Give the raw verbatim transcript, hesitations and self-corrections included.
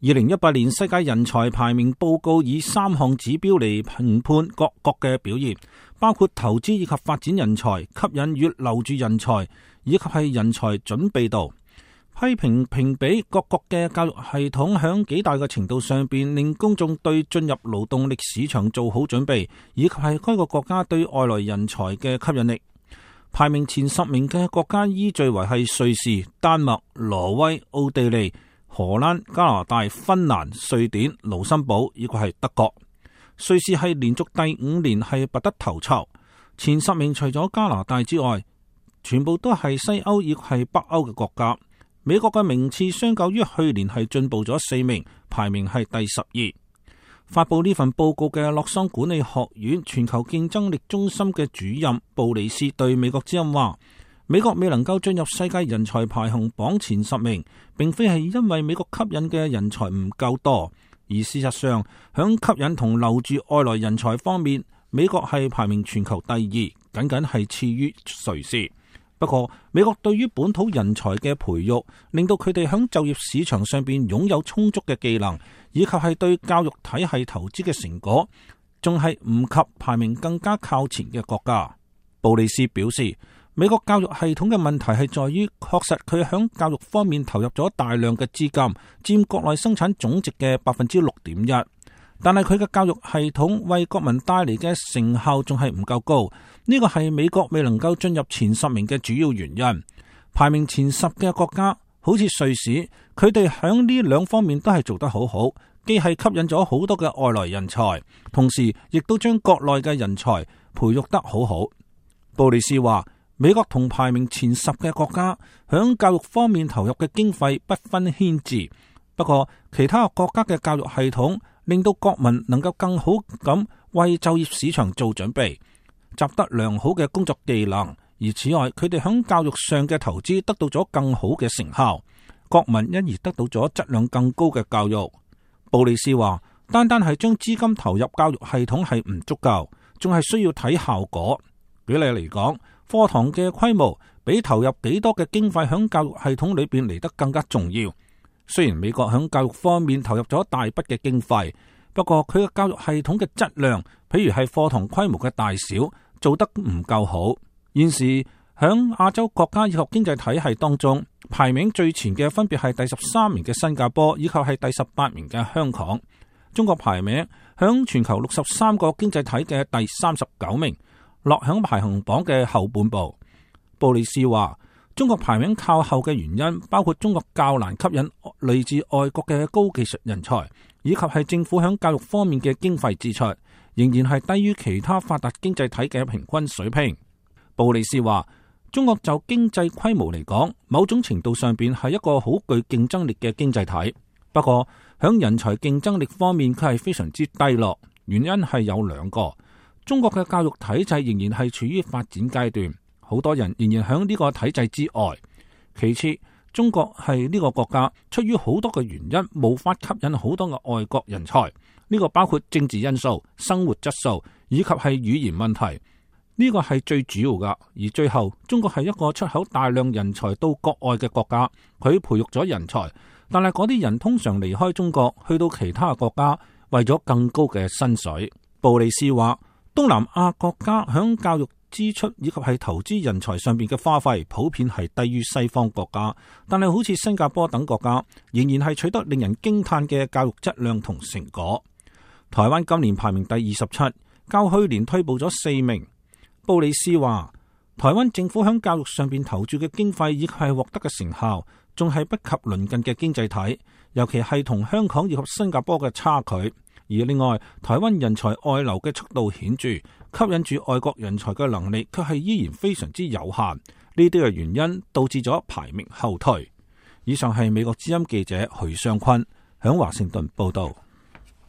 二零一八年世界人才排名報告以三項指標嚟評判各國嘅表現，包括投資以及發展人才、吸引與留住人才，以及係人才準備度。批評評比各國嘅教育系統響幾大嘅程度上邊令公眾對進入勞動力市場做好準備，以及係該個國家對外來人才嘅吸引力。排名前十名嘅國家依序為係瑞士、丹麥、挪威、奧地利、荷蘭、加拿大、芬蘭、瑞典、盧森堡，以及係德國。瑞士係連續第五年係拔得頭籌，前十名除咗加拿大之外，全部都係西歐以及係北歐嘅國家。美國嘅名次相較於去年係進步咗四名，排名係第十二。發佈呢份報告嘅洛桑管理學院全球競爭力中心嘅主任布里斯對美國之音話：美國未能夠進入世界人才排行榜前十名，並非係因為美國吸引嘅人才唔夠多，而事實上響吸引同留住外來人才方面，美國係排名全球第二，僅僅係次於瑞士。不過，美國對於本土人才嘅培育，令到佢哋喺就業市場上邊擁有充足嘅技能，以及係對教育體系投資嘅成果，仲係唔及排名更加靠前嘅國家。布里斯表示，美國教育系統嘅問題係在於，確實佢喺教育方面投入咗大量嘅資金，佔國內生產總值嘅百分之六點一。但係佢嘅教育系統為國民帶嚟嘅成效仲係唔夠高，呢個係美國未能夠進入前十名嘅主要原因。排名前十嘅國家好似瑞士，佢哋響呢兩方面都係做得好好，既係吸引咗好多嘅外來人才，同時亦都將國內嘅人才培育得好好。布里斯話，美國同排名前十嘅國家響教育方面投入嘅經費不分軒輊，不過其他國家嘅教育系統令到國民能夠更好咁為就業市場做準備，習得良好嘅工作技能，而此外佢哋響教育上嘅投資得到咗更好嘅成效，國民因而得到咗質量更高嘅教育。布里斯話，單單係將資金投入教育系統係唔足夠，仲係需要睇效果。舉例嚟講，課堂嘅規模比投入幾多嘅經費響教育系統裏邊嚟得更加重要。雖然美國響教育方面投入咗大筆嘅經費，不過佢嘅教育系統嘅質量，譬如係課堂規模嘅大小，做得唔夠好。現時響亞洲國家以及經濟體系當中，排名最前嘅分別係第十三名嘅新加坡，以及係第十八名嘅香港。中國排名響全球六十三個經濟體嘅第三十九名，落響排行榜嘅後半部。布里斯話，中國排名靠後嘅原因包括中國較難吸引來自外國嘅高技術人才，以及係政府響教育方面嘅經費支出仍然係低於其他發達經濟體嘅平均水平。布里斯話，中國就經濟規模嚟講，某種程度上邊係一個好具競爭力嘅經濟體，不過響人才競爭力方面佢係非常之低落。原因係有兩個，中國嘅教育體制仍然係處於發展階段，好多人仍然響呢個體制之外。其次，中國係呢個國家出於好多嘅原因無法吸引好多嘅外國人才，呢個包括政治因素、生活質素以及係語言問題，呢個係最主要噶。而最後，中國係一個出口大量人才到國外嘅國家，佢培育咗人才，但係嗰啲人通常離開中國去到其他國家，為咗更高嘅薪水。布里斯話，東南亞國家響教育支出以及係投資人才上邊嘅花費普遍係低於西方國家，但係好似新加坡等國家仍然係取得令人驚嘆嘅教育質量同成果。台灣今年排名第二十七，較去年退步咗四名。布里斯話，台灣政府響教育上邊投注嘅經費以及係獲得嘅成效，仲係不及鄰近嘅經濟體，尤其係同香港以及新加坡嘅差距。而另外，台灣人才外流嘅速度顯著，吸引住外國人才嘅能力卻係依然非常之有限。呢啲嘅原因導致咗排名後退。以上係美國之音記者許尚坤響華盛頓報道。